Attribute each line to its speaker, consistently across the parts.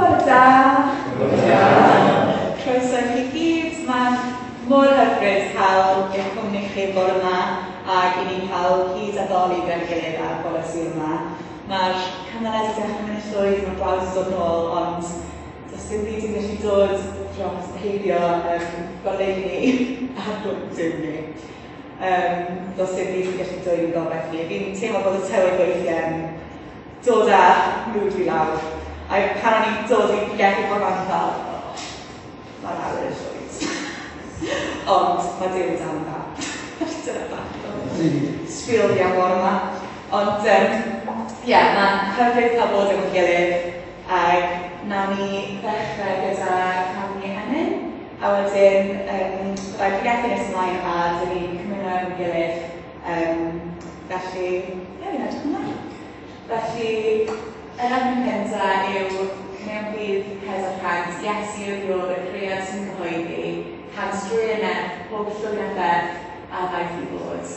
Speaker 1: Bore da. Bore da. Croeso i chi gyd. Mae'n mor hyfryd cael eich cwmni chi bore yma ac i ni cael hyd a ddoli gyda'n gilydd ar bore Sul yma. Mae'r cymyled wedi dechrau mynd yn llwyd, mae'r glaw wedi dod nôl, ond does dim byd yn gallu dod dros heibio goleuni a Duw ni. Does dim byd yn gallu dwyn gobaith ni. Fi'n teimlo bod y tywydd weithiau'n dod â mood fi lawr. A pan o'n i'n dod i pregethu bore 'ma, o'n i fel, oh, mae'r awyr yn llwyd. Ond mae Duw yn dal yn dda. Dyna bach o spiel fi am bore 'ma. Ond ie, yeah, mae'n hyfryd cael bod efo'n gilydd. Ac nawn ni ddechrau gyda canu emyn. A wedyn, byddai pregethu nes ymlaen a dyn ni'n cymuno efo'n gilydd. Felly, ie, fi'n edrych ymlaen. Felly, yr emyn cyntaf yw Mewn Ffydd 400, Iesu yw'r Iôr, y cread sy'n cyhoeddi, cant drwy y nerth, pob llwyn a pherth a ddaeth i fod.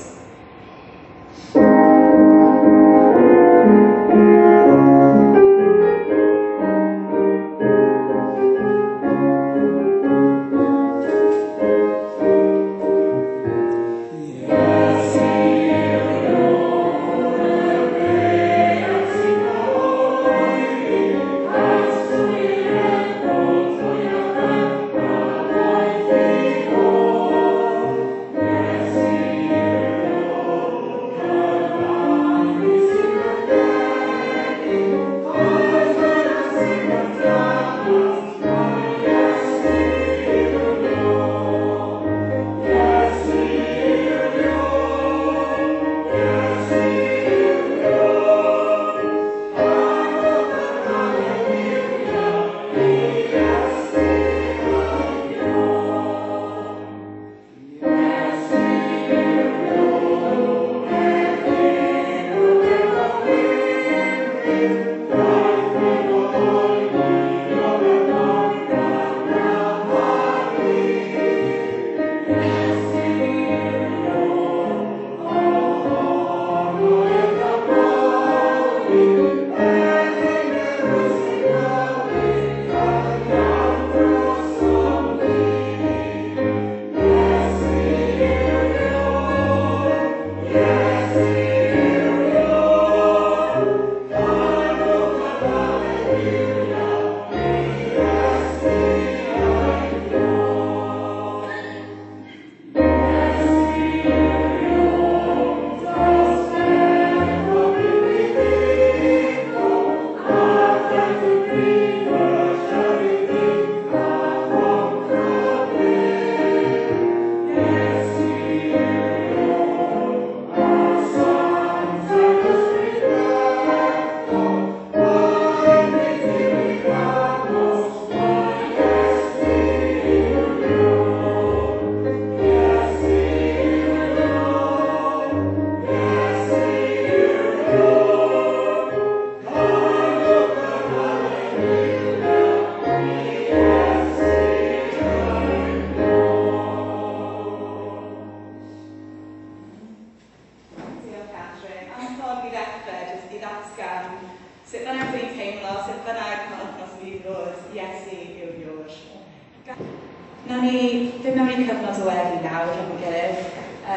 Speaker 1: Nawn ni fynd mewn i cyfnod o weddi nawr efo'n gilydd. A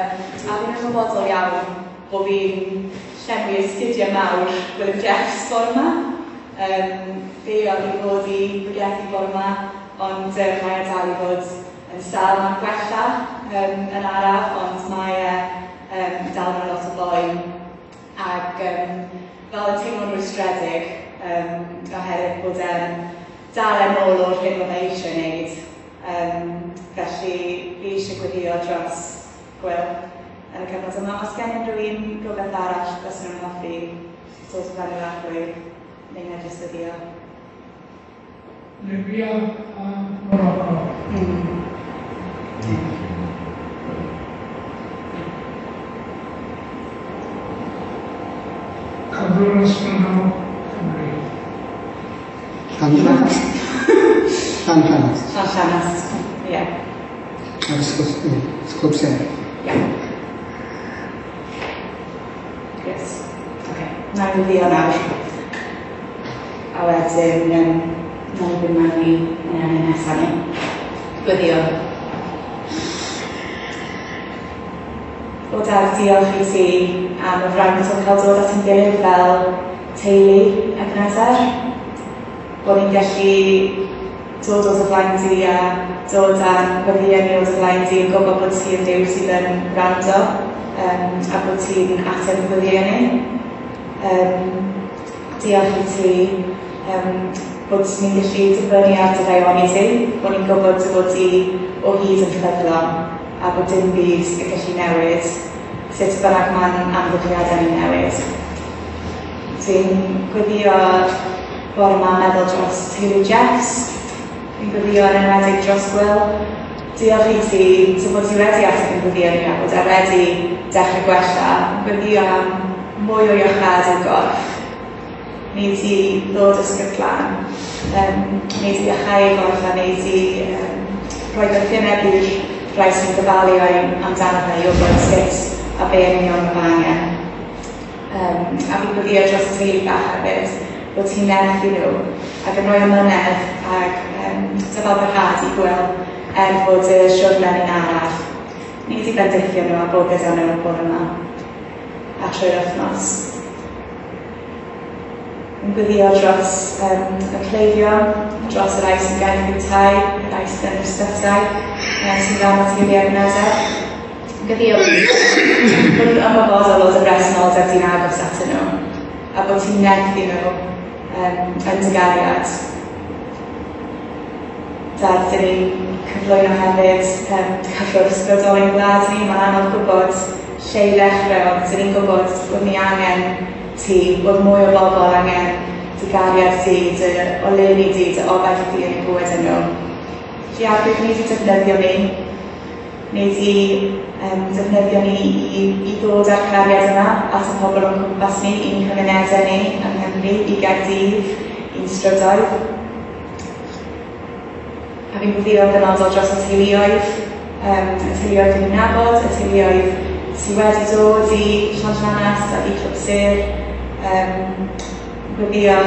Speaker 1: fi'n ymwybodol iawn bod fi'n llenwi esgidiau mawr Gwilym Jeffs bore yma. Fe oedd i fod i bregethu bore yma, ond mae e dal i fod yn sâl. Mae'n gwella yn araf, ond mae e dal mewn lot o boen. Ac fel yn teimlo'n rwystredig oherwydd bod e'n dal yn ôl o'r hyn oedd e eisiau wneud. Felly fi eisiau gweddio dros Gwil yn y cyfnod yma. Os gen unrhyw un rhywbeth arall fysen nhw'n hoffi dod o fewn i'r arglwydd, neu na jyst weddio.
Speaker 2: Libya a Morocco. Cyflwr ysbrydol Cymru.
Speaker 3: Llanllanast. Llanllanast.
Speaker 1: Llanllanast, ie.
Speaker 3: Ar ysgol, ie, Clwb Sêr.
Speaker 1: Ie. Yes. Okay. Na i weddio nawr. A wedyn, Nawn ni fynd mewn i yn enw nesaf ni. Gweddio. O Dad, diolch i ti am y fraint o cael dod at ein gilydd fel teulu Ebenezer. Bod ni'n gallu dod o dy flaen di a dod â'n gweddïau ni o dy flaen di yn gwybod bod ti yn Duw sydd yn gwrando a bod ti'n ateb y gweddïau ni. Diolch i ti bod ni'n gallu dibynnu ar dy ddaioni di, bod ni'n gwybod dy fod di o hyd yn ffyddlon a bod dim byd yn gallu newid sut bynnag mae'n amgylchiadau ni'n newid. Dwi'n gweddio bore yma meddwl dros teulu Jess. Dwi'n gweddio yn enwedig dros Will. Diolch i ti, dy fod ti wedi ateb yn gweddio ni a bod e wedi dechrau gwella. Gweddio am mwy o iachâd i'w gorff. Wneud i ddod ysbryd glân. Wneud i iachau ei gorff a wneud i rhoi doethineb i'r rhai sy'n gofalu amdano fe i wybod sut a be yn union mae fe angen. A fi'n gweddio dros y teulu bach hefyd, bod ti'n nerthu nhw ac yn rhoi amynedd ac dyfalbarhad i Gwil er fod y siwrne ni'n araf. Ni wedi bendithio nhw a bod gyda nhw bore yma a trwy'r wythnos. Yn gweddio dros y cleifion, dros y rhai sy'n gaeth i'w tai, y rhai sydd yn yr ysbytai, sy'n rhan o teulu Ebenezer. Yn gweddio bod nhw'n ymwybodol o dy bresenoldeb di'n agos atyn nhw, a bod ti'n nerthu nhw yn dy gariad. Dad, dyn ni'n cyflwyno hefyd cyflwr ysbrydol ein gwlad ni. Mae'n anodd gwybod lle i ddechrau, ond dyn ni'n gwybod bod ni angen ti, bod mwy o bobl angen dy gariad di, dy oleuni di, dy obaith di yn eu bywydau nhw. Felly Arglwydd, ni wedi defnyddio ni, ni wedi defnyddio ni i ddod â'r cariad yma at y pobl o'n cwmpas ni, i'n cymunedau ni yng Nghymru, i Gaerdydd, i'n strydoedd. A fi'n gweddio yn benodol dros y teuluoedd, y teuluoedd dwi'n nabod, y teuluoedd sydd wedi dod i Llanllanast ac i Clwb Sêr. Gweddio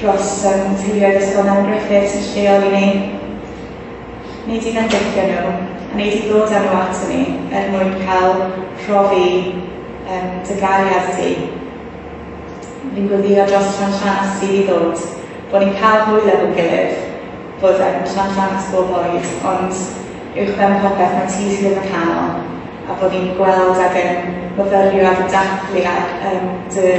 Speaker 1: dros teuluoedd Ysgol Nan Griffiths yn lleol i ni. Wneud i fendithio nhw, a wneud i ddod â nhw ato ni er mwyn cael profi dy gariad di. Fi'n gweddio dros Llanllanast sydd i ddod, bod ni'n cael hwyl efo'n gilydd, bod Llanllanast bob oed, ond uwchben popeth mae ti sydd yn y canol, a bod ni'n gweld ac yn myfyrio ac yn dathlu ac dy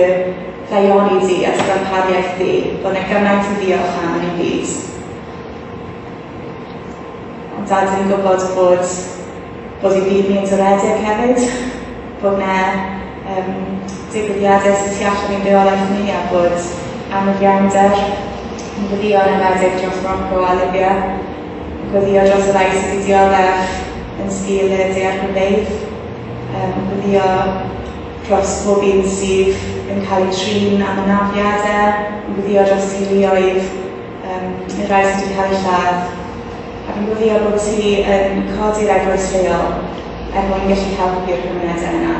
Speaker 1: ddaioni di a dy ddarpariaeth di, bod yna gymaint i ddiolch am yn ein byd. Ond Dad, ni'n gwybod bod ein byd ni'n toredig hefyd, bod yna digwyddiadau sydd tu allan i'n reolaeth ni a bod anghyfiawnder. Yn gweddio yn enwedig dros Morocco a Libya, yn gweddio dros y rhai sydd wedi dioddef yn sgil y daeargrynfeydd, yn gweddio dros pob un sydd yn cael eu trin am anafiadau, yn gweddio dros teuluoedd, y rhai sydd wedi cael eu lladd. A fi'n gweddio bod ti yn codi'r eglwys lleol er mwyn gallu helpu'r cymunedau yna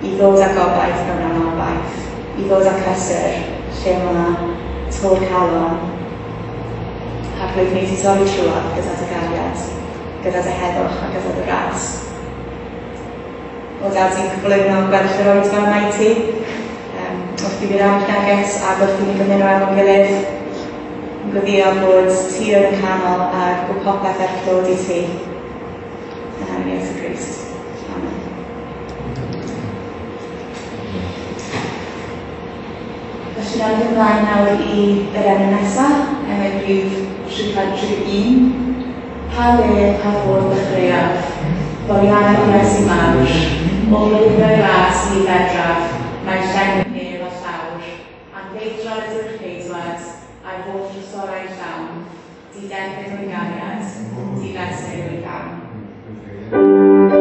Speaker 1: i ddod â gobaith mewn anobaith, i ddod â cysur lle mae tor calon. Arglwydd, wneud i dorri trwodd gyda dy gariad, gyda dy heddwch a gyda dy ras. O Dad, ti'n cyflwyno gweddill yr oedfa yma i ti, wrth i fi rannu neges ac wrth i ni gymuno efo'n gilydd. Yn gweddio bod ti yn y canol a bod popeth er clod i ti. Yn enw Iesu Grist. Amen. Felly nawn ni ymlaen nawr i yr enw nesaf, enw rhif 331. Pa le, pa fodd ddechreuaf, foliannau o'r Iesu mawr, o flwyddau ras ni fedraf, mae llenwi nef a llawr, anfeidrol ydyw'r ceidwad, a'i holl drysorau llawn, diderfyn o'i gariad, difesur o'i ddawn.
Speaker 4: Amen.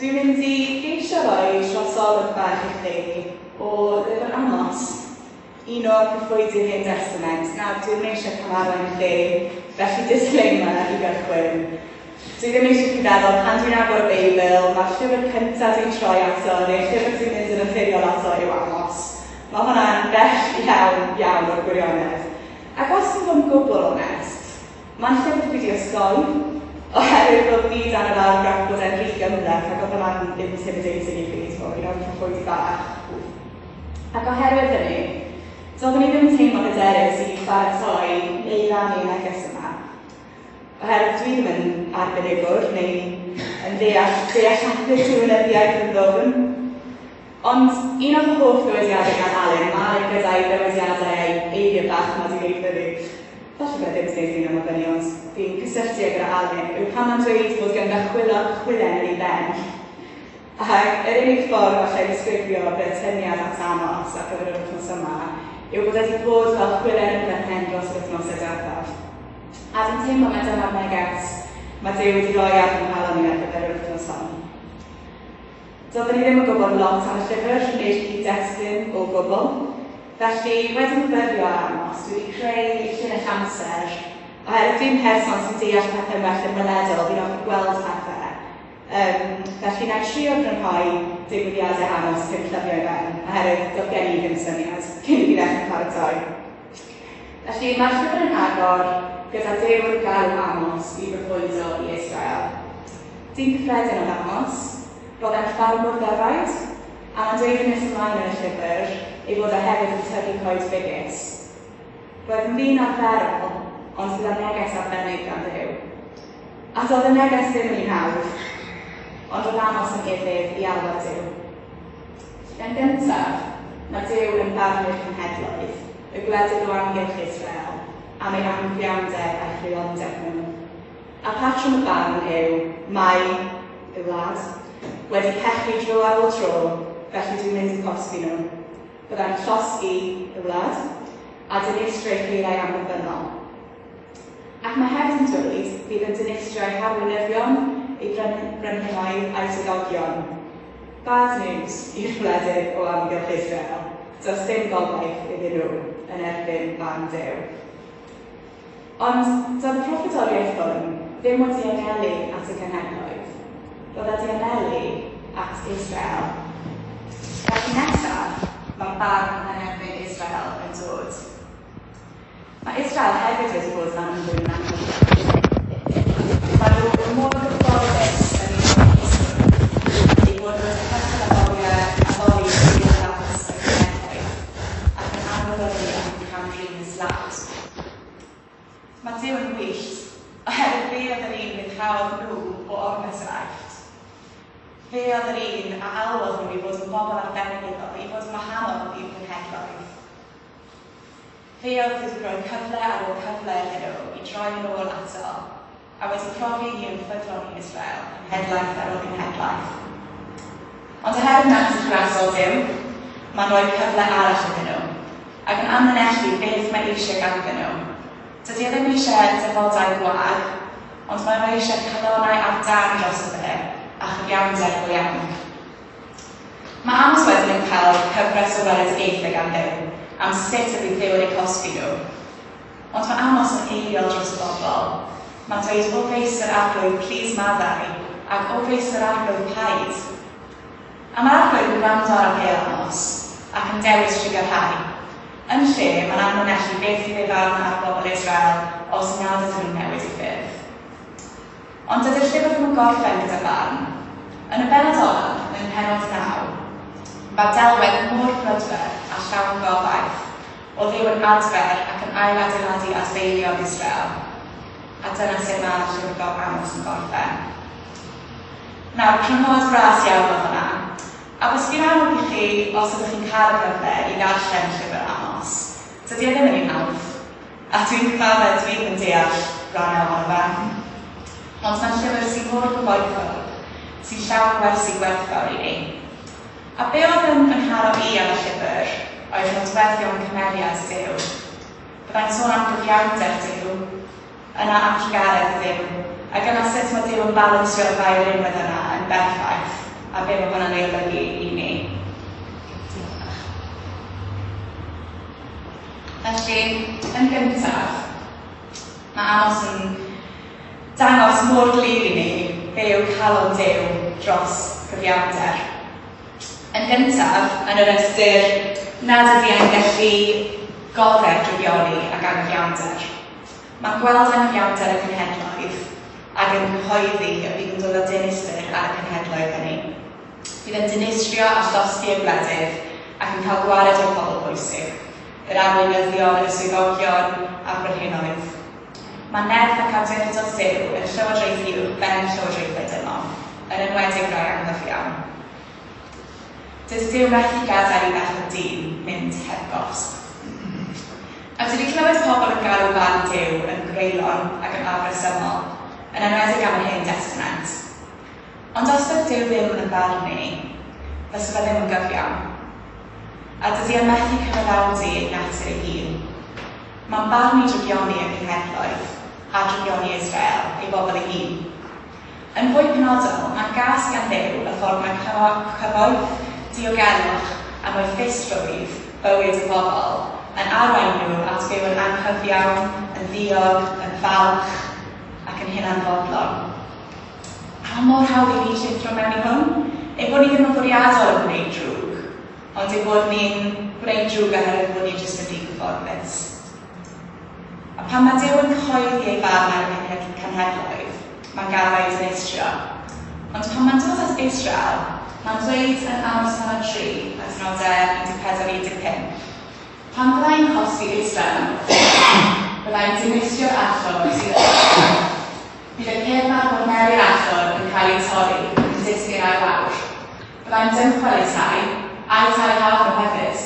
Speaker 1: Dwi'n mynd i geisio roi trosolwg bach i chi o lyfr Amos, un o'r proffwydi'r Hen Testament. Nawr, dwi ddim eisiau camarwain chi, felly disclaimer i gychwyn. Dwi ddim eisiau chi feddwl, pan dwi'n agor y Beibl, mae'r llyfr cyntaf dwi'n troi ato, neu'r llyfr dwi'n mynd yn naturiol ato yw Amos. Mae hwnna'n bell iawn, iawn o'r gwirionedd. Ac os dwi'n fod yn gwbl onest, mae'n llyfr dwi wedi osgoi, oherwydd roedd fi dan yr argraff bod e'n rhy gymhleth ac oedd hwnna'n intimidating i fi, ti'n gwbod, un o'r proffwydi bach. Ac oherwydd hynny, doeddwn i ddim yn teimlo'n hyderus i baratoi neu rannu neges yma. Oherwydd dwi ddim yn arbenigwr neu yn deall dealladwy diwinyddiaeth yn ddwfn. Ond un o'r hoff ddywediadau gan Alun, mae Alun gyda'i ddywediadau a'i eiriau bach yma wedi gwneud fyny. Falle bod e ddim wedi gwneud un yma fyny, ond fi'n cysylltu â gyda Alun, yw pan mae'n dweud bod ganddo chwilog chwilen yn ei ben. Ac yr unig ffordd allai ddisgrifio fy atyniad at Amos ar gyfer yr wythnos yma yw bod e wedi bod fel chwilen yn fy mhen dros yr wythnosau diwethaf. A dwi'n teimlo mai dyma'r neges mae Duw wedi rhoi ar fy nghalon i ar gyfer yr wythnos hon. Doeddwn i ddim yn gwybod lot am y llyfr neu'r cyd-destun o gwbl. Felly, wedi myfyrio ar Amos, dwi wedi creu llinell amser, oherwydd dwi'n person sy'n deall pethau'n well yn weledol, fi'n hoffi gweld pethau. Felly, na i trio grynhoi digwyddiadau Amos cyn plymio i ben, oherwydd doedd gen i ddim syniad cyn i fi ddechrau paratoi. Felly, mae'r llyfr yn agor gyda Duw yn galw Amos i broffwydo i Israel. Dyn cyffredin oedd Amos, roedd e'n ffarmwr ddefaid, a mae'n dweud yn nes ymlaen yn y llyfr ei fod e hefyd yn tyfu coed ffigys. Roedd yn ddyn arferol, ond gyda neges arbennig gan Dduw. A doedd y neges ddim yn un hawdd, ond roedd Amos yn ufudd i alwad Duw. Yn gyntaf, mae Duw yn barnu'r cenhedloedd, y gwledydd o amgylch Israel, am ei anghyfiawnder a'i chreulondeb nhw. A patrwm y barn yw, mae y wlad wedi pechu dro ar ôl tro, felly dwi'n mynd i cosbi nhw. Byddai'n llosgi y wlad a dinistrio ei chaerau amddiffynnol. Ac mae hefyd yn dweud bydd yn dinistrio ei harweinyddion, ei brenhinoedd a'i swyddogion. Bad news i'r wledydd o amgylch Israel, does dim gobaith iddyn nhw yn erbyn barn Duw. Ond doedd y proffwydoliaeth hwn ddim wedi anelu at y cenhedloedd. Roedd wedi anelu at Israel. Felly nesaf, mae barn yn erbyn Israel yn dod. Mae Israel hefyd wedi bod yn anghywir yn anghywir. Mae nhw mor gyfforddus yn eu hapusrwydd eu bod nhw wedi cychwyn addoli duwiau dafis y cenhedloedd ac yn anwybyddu ac yn cam-drin y tlawd. Mae Duw yn wyllt, oherwydd fe oedd yr un ryddhaodd nhw o ormes yr Aifft. Fe oedd yr un a alwodd nhw i fod yn bobl arbennig iddo, i fod yn wahanol i'r cenhedloedd. Fe oedd wedi rhoi cyfle ar ôl cyfle iddyn nhw i droi yn ôl ato, a wedi profi ei hun yn ffyddlon i Israel, cenhedlaeth ar ôl cenhedlaeth. Ond oherwydd natur grasol Duw, mae'n rhoi cyfle arall iddyn nhw, ac yn amlinellu beth mae eisiau ganddyn nhw. Dydy e ddim eisiau defodau gwag, ond mae o eisiau calonnau ar dân drosto fe, a chyfiawnder go iawn. Mae Amos wedyn yn cael cyfres o weledigaethau gan Dduw am sut y bydd Duw yn eu cosbi nhw. Ond mae Amos yn eiriol dros y bobl. Mae'n dweud, O Feistr Arglwydd, plîs maddau, ac O Feistr Arglwydd, paid. A mae'r Arglwydd yn gwrando ar apêl Amos, ac yn dewis trugarhau. Yn lle, mae'n amlinellu beth fydd ei farn ar bobl Israel os nad ydyn nhw'n newid eu ffyrdd. Ond dydy'r llyfr ddim yn gorffen gyda barn. Yn y bennod olaf, yn mhennod 9, mae delwedd mor brydferth a llawn gobaith o Dduw yn adfer ac yn ailadeiladu adfeilion Israel. A dyna sut mae'r llyfr Amos yn gorffen. Nawr, crynhoad bras iawn oedd hwnna. A byswn i'n annog i chi, os ydych chi'n cael y cyfle, i ddarllen llyfr Amos. Dydy e ddim yn un hawdd, a dwi'n cyfaddef dwi ddim yn deall rhannau ohono fe. Ond mae'n llyfr sy'n mor gyfoethog, sy'n llawn gwersi gwerthfawr i ni. A be oedd yn fy nharo i am y llyfr oedd nodweddion cymeriad Duw. Byddai'n sôn am gyfiawnder Duw, yna am drugaredd Dduw, ac yna sut mae Duw yn balansio'r ddau rinwedd yna yn berffaith. A be mae hwnna'n ei olygu i ni. Diolch. Felly, yn gyntaf, mae Amos yn dangos mor glir i ni be yw calon Duw dros gyfiawnder. Yn gyntaf, yn yr ystyr nad ydy e'n gallu goddef drygioni ac anghyfiawnder. Mae'n gweld anghyfiawnder y cenhedloedd ac yn cyhoeddi y bydd yn dod â dinistr ar y cenhedloedd hynny. Bydd yn dinistrio a llosgi y gwledydd ac yn cael gwared o'r pobl bwysig, yr arweinyddion, y swyddogion a'r brenhinoedd. Mae nerth ac awdurdod Duw yn llywodraethu uwch ben llywodraethau dynol, yn enwedig rai anghyfiawn. Dydy Duw methu gadael i bechod dyn mynd heb gosb. A dwi 'di clywed pobl yn galw barn Duw yn greulon ac yn afresymol, yn enwedig am yr Hen Destament. Ond os doedd Duw ddim yn barnu, fysa fe ddim yn gyfiawn. A dydy e methu cyfaddawdu ei natur ei hun. Mae'n barnu drygioni y cenhedloedd, a drygioni Israel, ei bobl ei hun. Yn fwy penodol, mae'n gas gan Dduw y ffordd mae cyfoeth, diogelwch a moethusrwydd bywyd y bobl yn arwain nhw at fyw yn anghyfiawn, yn ddiog, yn falch ac yn hunanfodlon. A mae mor hawdd i ni llithro mewn i hwn. Ein bod ni ddim yn fwriadol yn gwneud drwg, ond ein bod ni'n gwneud drwg oherwydd bod ni jyst yn rhy gyfforddus. A pan mae Duw yn cyhoeddi ei farn ar y cenhedloedd, mae'n gaddo eu dinistrio. Ond pan mae'n dod at Israel, mae'n dweud yn Amos pennod 3, adnodau 14-15, Pan fydda i'n cosbi Israel am y bydda i'n dinistrio'r allor sydd yn Israel. Bydd y cefn ar gorneli'r allor yn cael eu torri ac yn disgyn ar lawr. Bydda i'n dymchwel eu tai, a'u tai haf nhw hefyd.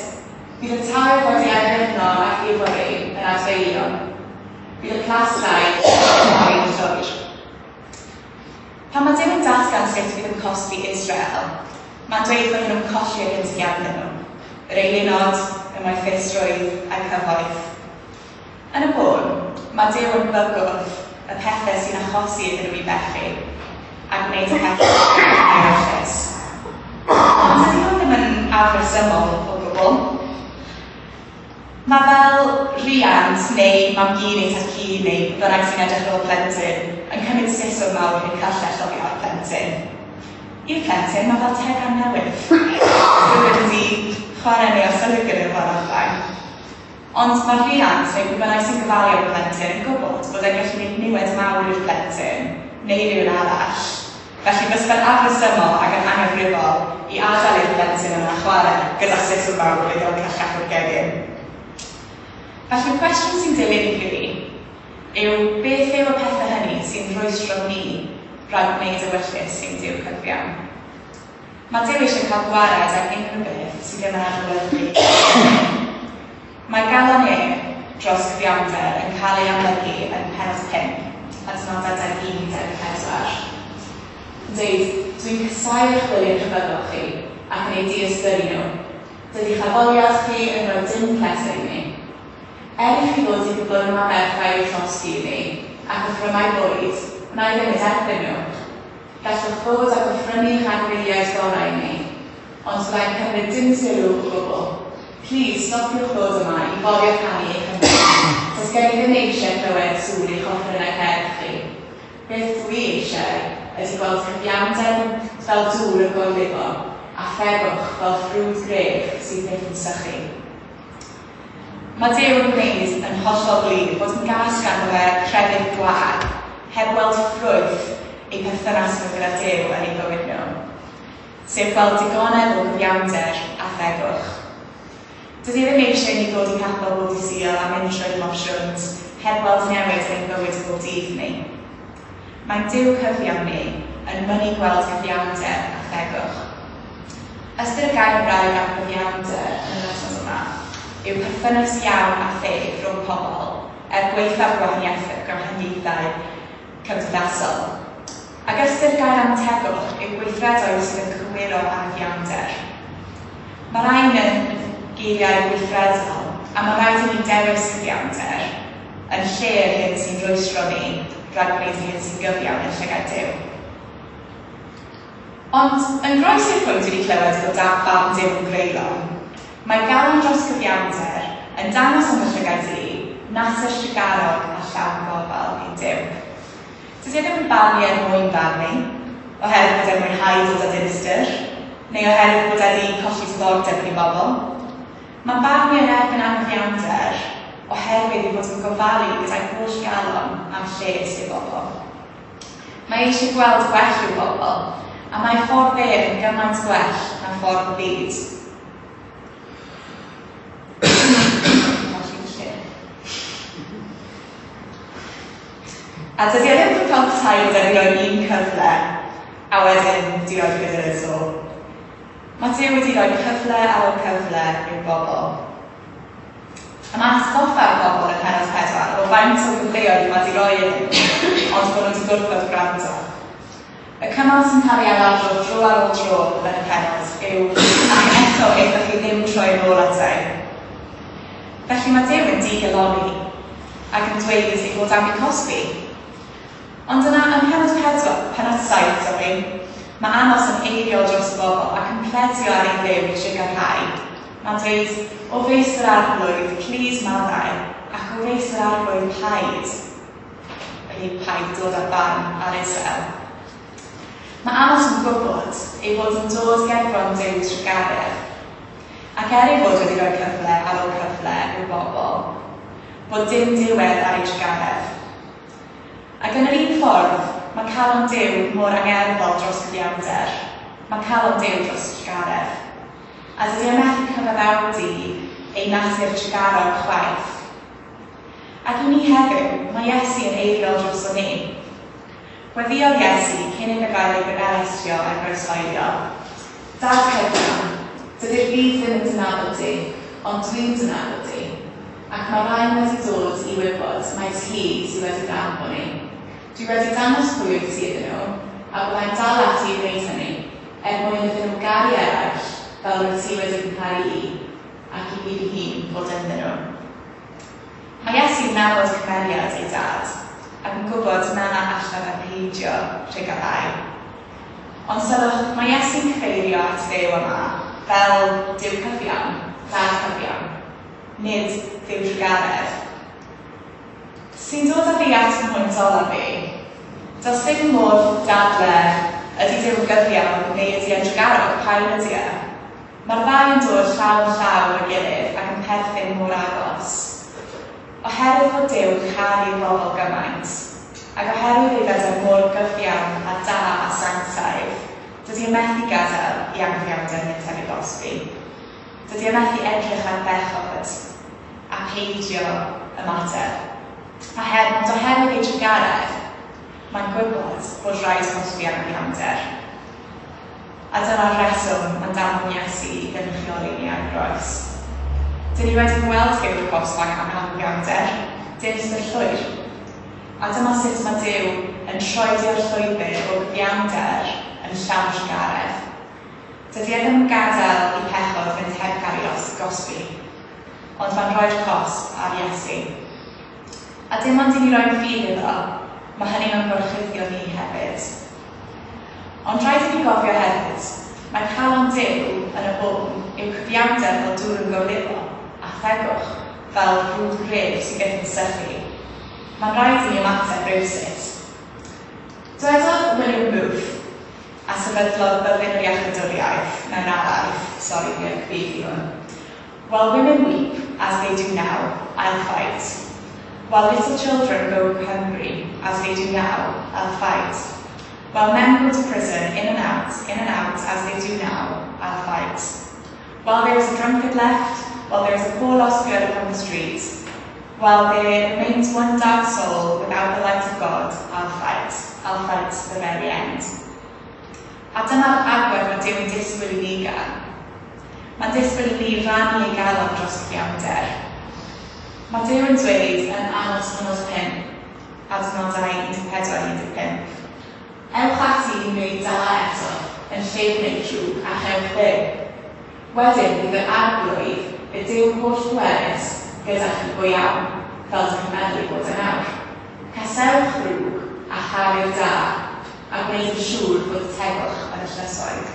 Speaker 1: Bydd y tai oedd wedi addurno ag ifori yn adfeilion. Bydd y plastai yn torri'n llwyr. Pan mae Duw yn datgan sut fydd yn cosbi Israel, mae'n dweud bod nhw'n colli yr hyn sydd ganddyn nhw, yr eilunod, y moethusrwydd a'r cyfoeth. Yn y bôn, mae Duw yn bygwth y pethau sy'n achosi iddyn nhw i bechu, a gwneud y pethau sy'n ewyllys. Ond dydy hwn ddim yn afresymol o gwbl. Mae fel rhiant neu mam-gu neu tad-cu neu pwy bynnag sy'n edrych ar ôl plentyn yn cymryd siswrn mawr neu cyllell oddi ar plentyn. I'r plentyn, mae fel tegan newydd. Rhywun wedi chwarae neu arsylwi gyda fo o'r blaen. Ond mae rhiant neu pwy bynnag sy'n gofalu am y plentyn yn gwybod bod e'n gallu gwneud niwed mawr i'r plentyn neu rywun arall. Felly fysa fe'n afresymol ac yn anghyfrifol i adael i'r plentyn yna chwarae gyda siswrn mawr neu fel cyllell o'r gegin. Felly'r cwestiwn sy'n dilyn i fi yw beth yw y pethau hynny sy'n rhwystro ni rhag gwneud ewyllys ein Duw cyfiawn? Mae Duw eisiau cael gwared ag unrhyw beth sydd ddim yn adlewyrchu Mae galon e dros gyfiawnder yn cael ei amlygu yn pennod 5, adnodau 21-24. Yn dweud, Dwi'n casáu eich gwyliau rhyfeddol chi ac yn eu diystyru nhw. Dydy'ch addoliad chi yn rhoi dim pleser i mi. Er i chi ddod i gyflwyno aberthau i'w llosgi i mi, ac offrymau bwyd, wna i ddim eu derbyn nhw. Gallwch ddod ag offrymu eich anifeiliaid gorau i mi, ond fyddai'n cymryd dim sylw o gwbl. Plîs, stopiwch ddod yma i forio canu eich hymynau. Does gen i ddim eisiau clywed sŵn eich offerynnau cerdd chi. Beth dw i eisiau ydy gweld cyfiawnder fel dŵr yn gorlifo, a thegwch fel ffrwd gref sydd byth yn sychu. Mae Duw yn gwneud yn hollol glir bod yn gas ganddo fe crefydd gwag, heb weld ffrwyth eu perthynas nhw gyda Duw yn eu bywyd nhw, sef gweld digonedd o gyfiawnder a thegwch. Dydy e ddim eisiau i ni ddod i capel bob dydd Sul a mynd trwy'r mosiwns heb weld newid yn ein bywyd bob dydd ni. Mae'n Duw cyfiawn ni yn mynnu gweld cyfiawnder a thegwch. Ystyr y gair Hebraeg am gyfiawnder yn yr adnod yma yw perthynas iawn a theg rhwng pobl, er gwaethaf gwahaniaethau cymdeithasol. Ac ystyr gair am tegwch yw gweithredoedd sydd yn cywiro anghyfiawnder. Mae rhain yn geiriau gweithredol, a mae rhaid i ni dewis cyfiawnder yn lle yr hyn sy'n rhwystro ni rhag gwneud yr hyn sy'n gyfiawn yn llygaid Duw. Ond yn groes i'r pwynt wedi clywed bod barn Duw yn greulon, mae galon dros gyfiawnder yn dangos yn fy llygaid i natur trugarog a llawn gofal ein Duw. Dydy e ddim yn barnu er mwyn barnu, oherwydd bod e'n mwynhau dod â dinistr, neu oherwydd bod e wedi colli diddordeb yn ei bobl. Mae'n barnu yn erbyn anghyfiawnder oherwydd ei fod yn gofalu gyda'i holl galon am lles ei bobl. Mae eisiau gweld gwell i'w bobl, a mae ffordd e yn gymaint gwell na ffordd y byd. A dydy e ddim yn cael petai bod e'n rhoi un cyfle a wedyn di roi gyda'r eto. Mae Duw wedi rhoi cyfle ar ôl cyfle i'w bobl. A mae atgoffa'r bobl yn pennod 4 o faint o gyfleoedd mae wedi rhoi iddyn nhw, ond bod nhw wedi gwrthod gwrando. Y cymal sy'n cael ei ailadrodd dro ar ôl tro yn y pennod yw ac eto aethoch chi ddim troi yn ôl ata i. Felly mae Duw yn digalonni ac yn dweud ei fod am eu cosbi. Ond yna ym mhennod 4, pennod 7, sori, mae Amos yn eiriol dros y bobl ac yn pledio ar ei Dduw i trugarhau. Mae'n dweud, o feistr arglwydd, plîs maddau, ac o feistr arglwydd paid. Felly paid dod â'r barn ar Israel. Mae Amos yn gwybod ei fod yn dod gerbron Duw trugaredd, ac er ei fod wedi rhoi cyfle ar ôl cyfle i'w bobl, bod dim diwedd ar ei trugaredd. Ac yn yr un ffordd, mae calon Duw mor angerddol dros gyfiawnder. Mae calon Duw dros trugaredd. A dydy e methu cyfaddawdu ei natur trugarog chwaith. Ac i ni heddiw, mae Iesu yn eiriol droso ni. Gweddïodd Iesu cyn iddo gael ei arestio a'i groeshoelio. Dad cyfiawn, dydy'r byd ddim yn dy nabod di, ond dwi'n dy nabod di. Ac mae rhain wedi dod i wybod mai ti sydd wedi fy anfon i. Dwi wedi dangos pwy wyt ti iddyn nhw, a byddai'n dal ati i wneud hynny, er mwyn iddyn nhw garu eraill fel rwyt ti wedi fy ngharu i, ac i fi fy hun fod ynddyn nhw. Mae Iesu'n nabod cymeriad ei dad, ac yn gwybod na allan e peidio rhugalhau. Ond sylwch, mae Iesu'n cyfeirio at Dduw yma fel Duw cyfiawn, Dad cyfiawn, nid Dduw trugaredd. Sy'n dod â fi at fy mhwynt olaf fi. Does dim modd dadle ydy Duw yn gyfiawn neu ydy e'n trugarog, pa un ydy e? Mae'r ddau yn dod llaw yn llaw efo'i gilydd ac yn perthyn mor agos. Oherwydd fod Duw yn caru'r bobl gymaint, ac oherwydd ei fod e mor gyfiawn a da a sanctaidd, dydy e methu gadael i anghyfiawnder mynd heb ei gosbi. Dydy e methu edrych ar bechod a peidio ymateb. Ond oherwydd ei trugaredd, mae'n gwybod bod rhaid cosbi anghyfiawnder. A dyna'r rheswm mae'n danfon Iesu i gynrychioli ni ar y groes. Dyn ni wedi gweld Duw'r cosb am anghyfiawnder, dinistr llwyr. A dyma sut mae Duw yn troedio'r llwybr o gyfiawnder yn llawn trugaredd. Dydy e ddim yn gadael i pechod fynd heb gael ei gosbi, ond mae'n rhoi'r cosb ar Iesu. A dim ond i ni roi'n ffydd iddo, mae hynny mewn gorchuddio ni hefyd. Ond rhaid i ni gofio hefyd, mae calon Duw yn y bôn yw cyfiawnder fel dŵr yn gorlifo, a thegwch fel rhwd gref sy'n byth yn sychu. Mae'n rhaid i ni ymateb rywsut. Dwedodd William Booth, a sefydlodd byddin yr iachawdwriaeth mewn araith, sori fi ar cyfieithu hwn. While women weep, as they do now, I'll fight. While little children go hungry, as they do now, I'll fight. While men go to prison, in and out, as they do now, I'll fight. While there is a drunkard left, while there is a poor lost girl upon the street, while there remains one dark soul without the light of God, I'll fight. I'll fight to the very end. A dyma'r agwedd mae Duw yn disgwyl i ni gael. Mae'n disgwyl i ni rannu ei galon dros cyfiawnder. Mae Duw yn dweud yn Amos pennod 5, adnodau 14-15. Ewch ati i wneud da eto, yn lle gwneud drwg, a chewch fyw. Wedyn bydd yr arglwydd, y Duw holl bwerus, gyda chi go iawn, fel dych chi'n meddwl ei bod e nawr. Casewch ddrwg a charu'r da, a gwneud yn siŵr bod y tegwch yn y llysoedd.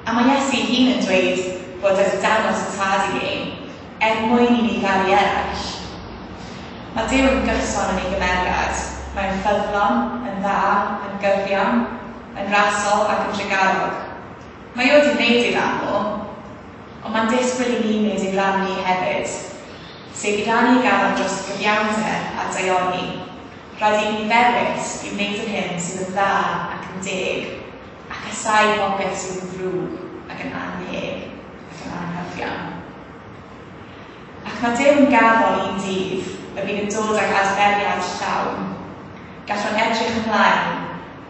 Speaker 1: A mae Iesu ei hun yn dweud bod wedi dangos y Tad i ni, er mwyn i ni garu eraill. Mae Duw yn gyson yn ei gymeriad. Mae'n ffyddlon, yn dda, yn gyfiawn, yn rasol ac yn drugarog. Mae o wedi wneud ei ran o, ond mae'n disgwyl i ni wneud ein rhan ni hefyd, sef i rannu ei galon dros gyfiawnder a daioni. Rhaid i ni ddewis i wneud yr hyn sydd yn dda ac yn deg, a casáu popeth sydd yn ddrwg ac yn annheg ac yn anghyfiawn. Ac mae Duw yn gaddol un dydd y bydd yn dod ag adferiad llawn. Gallwn edrych ymlaen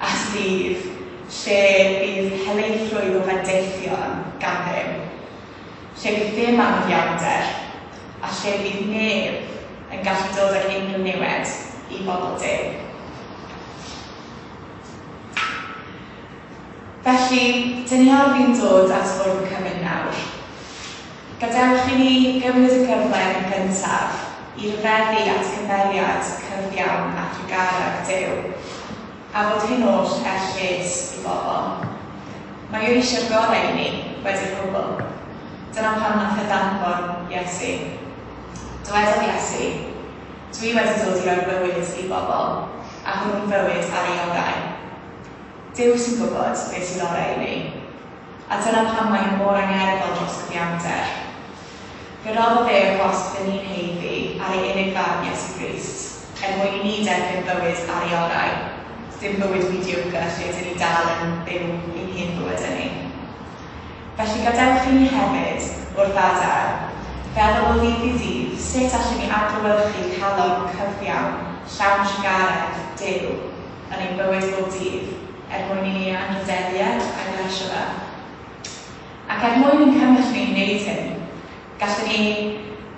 Speaker 1: at ddydd lle bydd helaethrwydd o fendithion gan Dduw, lle bydd ddim anghyfiawnder, a lle bydd neb yn gallu dod ag unrhyw niwed i bobl Duw. Felly, dyn ni ar fin dod at fwrdd y cymun nawr. Gadewch i ni gymryd y cyfle yn gyntaf i ryfeddu at gymeriad cyfiawn a thrugarog Duw, a fod hyn oll er lles i bobl. Mae o eisiau'r gorau i ni, wedi'r cwbl. Dyna pam nath e ddanfon Iesu. Dywedodd Iesu, Dwi wedi dod i roi bywyd i bobl, a hwnnw'n fywyd ar ei orau. Duw sy'n gwybod beth sydd orau i ni. A dyna pam mae mor angerddol dros gyfiawnder. Fe roddodd e y cosb dyn ni'n haeddu ar ei unig fab Iesu Grist, er mwyn i ni derbyn bywyd ar ei orau, dim bywyd mediocre lle dyn ni dal yn byw ein hen fywydau ni. Felly gadewch i ni hefyd, wrth adael, feddwl o ddydd i ddydd sut allwn ni adlewyrchu calon cyfiawn, llawn trugaredd Duw yn ein bywyd bob dydd, er mwyn i ni anrhydeddu e a'i blesio fe. Ac er mwyn ein cymell ni i wneud hyn, gallwn ni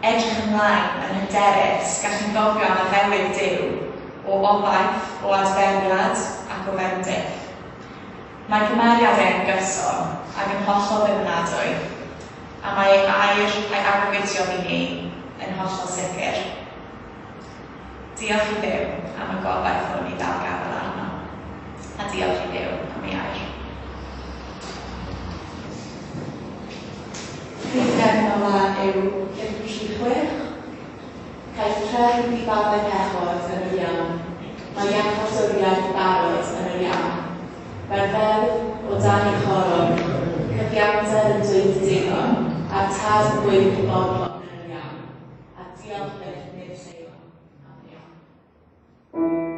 Speaker 1: edrych ymlaen yn hyderus, gallwn gofio am addewid Duw o obaith, o adferiad ac o fendith. Mae cymeriad e'n gyson ac yn hollol ddibynadwy, a mae ei air a'i addewidion i ni yn hollol sicr. Diolch i Dduw am y gobaith hwn i ddal gafael arno, a diolch i Dduw am ei air.
Speaker 4: Rhif gefn ola yw 536. Caiff trefn i faddau pechod yn yr iawn. Mae iachawdwriaeth barod yn yr iawn. Mae'r ddeddf o dan ei choron, cyfiawnder yn dweud digon, a'r tad yn gweiddi bodlon yn yr iawn, a diolch byth nid lleon am yr iawn.
Speaker 5: Thank you.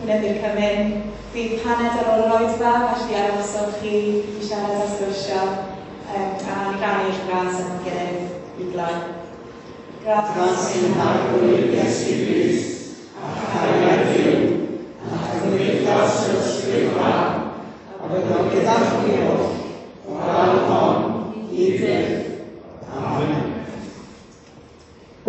Speaker 1: cynyddu'r cymun. Bydd paned ar ôl yr oedfa, felly arhoswch chi i siarad a sgwrsio a rannu'r gras yn gilydd i gloi. Gras
Speaker 5: Gras i'n Harglwydd Iesu Grist, a chariad Duw,